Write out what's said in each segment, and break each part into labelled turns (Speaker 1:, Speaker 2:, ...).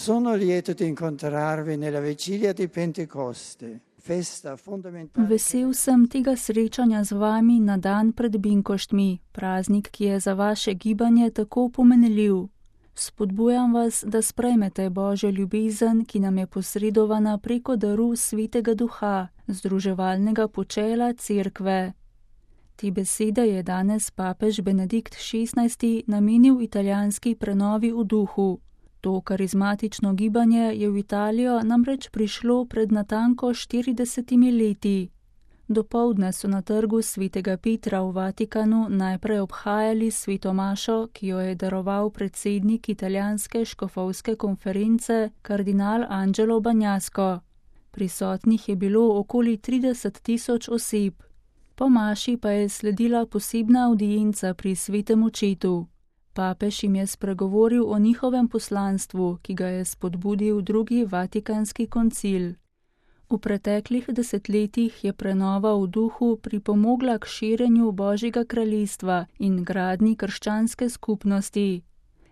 Speaker 1: Sono lieto di incontrarvi nella vigilia di Pentecoste, festa fondamentale.
Speaker 2: Vesel sem tega srečanja z vami na dan pred Binkoštmi, praznik, ki je za vaše gibanje tako pomenljiv. Spodbujam vas, da sprejmete Božjo ljubezen, ki nam je posredovana preko daru Svetega Duha, združevalnega počela Cerkve. Te besede je danes papež Benedikt XVI namenil italijanski prenovi v duhu. To karizmatično gibanje je v Italijo namreč prišlo pred natanko 40 leti. Dopoldne so na trgu Svetega Petra v Vatikanu najprej obhajali sveto mašo, ki jo je daroval predsednik italijanske škofovske konference kardinal Angelo Bagnasco. Prisotnih je bilo okoli 30.000 oseb. Po maši pa je sledila posebna avdienca pri svetem očetu. Papež jim je spregovoril o njihovem poslanstvu, ki ga je spodbudil drugi Vatikanski koncil. V preteklih desetletjih je prenova v duhu pripomogla k širjenju Božjega kraljestva in gradnji krščanske skupnosti.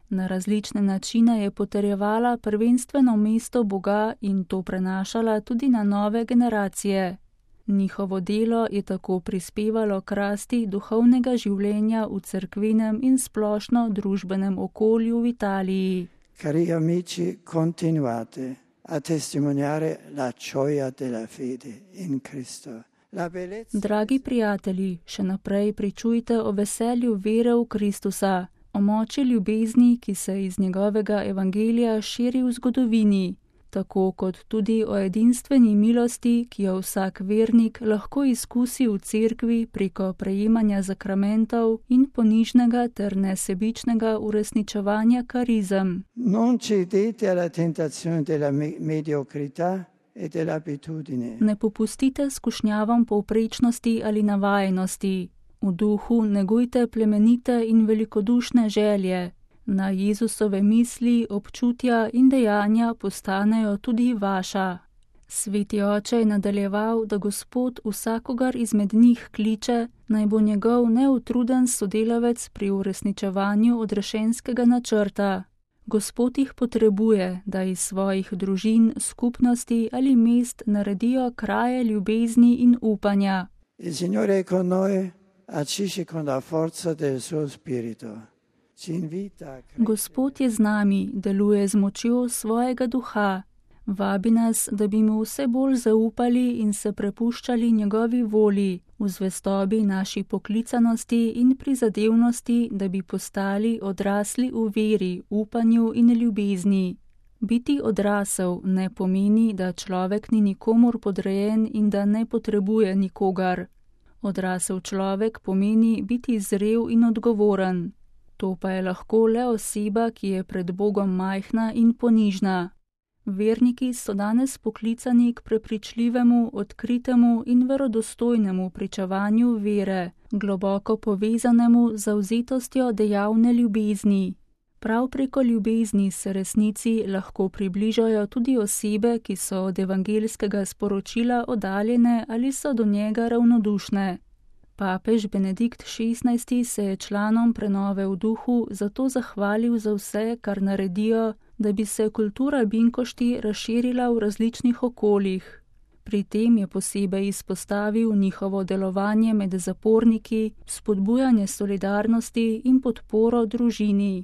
Speaker 2: Na različne načine je potrjevala prvenstveno mesto Boga in to prenašala tudi na nove generacije. Njihovo delo je tako prispevalo k rasti duhovnega življenja v cerkvenem in splošno družbenem okolju v Italiji.
Speaker 1: Cari amici, continuate a testimoniare la gioia della fede in Cristo.
Speaker 2: Dragi prijatelji, še naprej pričujte o veselju vere v Kristusa, o moči ljubezni, ki se iz njegovega evangelija širi v zgodovini, tako kot tudi o edinstveni milosti, ki jo vsak vernik lahko izkusi v cerkvi preko prejemanja zakramentov in ponižnega ter nesebičnega uresničevanja karizem.
Speaker 1: Non cedete alla tentazione della mediocrità e dell'abitudine.
Speaker 2: Ne popustite skušnjavam povprečnosti ali navajenosti. V duhu negujte plemenite in velikodušne želje. Na Jezusove misli, občutja in dejanja postanejo tudi vaša. Sveti oče je nadaljeval, da Gospod vsakogar izmed njih kliče, naj bo njegov neutruden sodelavec pri uresničevanju odrešenskega načrta. Gospod jih potrebuje, da iz svojih družin, skupnosti ali mest naredijo kraje ljubezni in upanja.
Speaker 1: Il Signore è con noi, agisce con la forza del suo spirito.
Speaker 2: Gospod je z nami, deluje z močjo svojega duha. Vabi nas, da bi mu vse bolj zaupali in se prepuščali njegovi volji, v zvestobi naši poklicanosti in prizadevnosti, da bi postali odrasli v veri, upanju in ljubezni. Biti odrasel ne pomeni, da človek ni nikomur podrejen in da ne potrebuje nikogar. Odrasel človek pomeni biti zrel in odgovoren. To pa je lahko le oseba, ki je pred Bogom majhna in ponižna. Verniki so danes poklicani k prepričljivemu, odkritemu in verodostojnemu pričevanju vere, globoko povezanemu z zavzetostjo dejavne ljubezni. Prav preko ljubezni se resnici lahko približajo tudi osebe, ki so od evangeljskega sporočila oddaljene ali so do njega ravnodušne. Papež Benedikt XVI se je članom prenove v duhu zato zahvalil za vse, kar naredijo, da bi se kultura Binkošti razširila v različnih okoljih. Pri tem je posebej izpostavil njihovo delovanje med zaporniki, spodbujanje solidarnosti in podporo družini.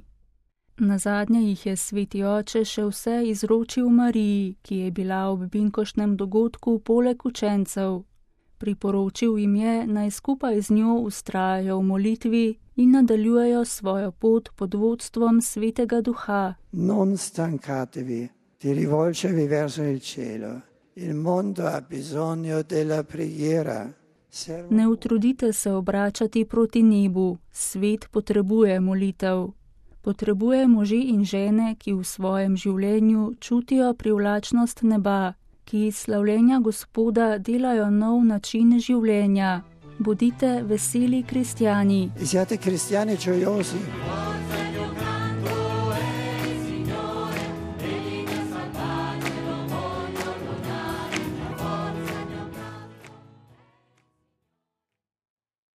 Speaker 2: Nazadnje jih je sveti oče še vse izročil Mariji, ki je bila ob binkoštnem dogodku poleg učencev. Priporočil jim je, naj skupaj z njo vztrajajo v molitvi in nadaljujejo svojo pot pod vodstvom Svetega Duha.
Speaker 1: Non stancatevi di rivolgervi verso il cielo. Il mondo ha bisogno della preghiera.
Speaker 2: Ne utrudite se obračati proti nebu. Svet potrebuje molitev. Potrebuje može in žene, ki v svojem življenju čutijo privlačnost neba, ki iz slavljenja Gospoda delajo nov način življenja. Bodite veseli kristjani.
Speaker 1: Siate cristiani gioiosi.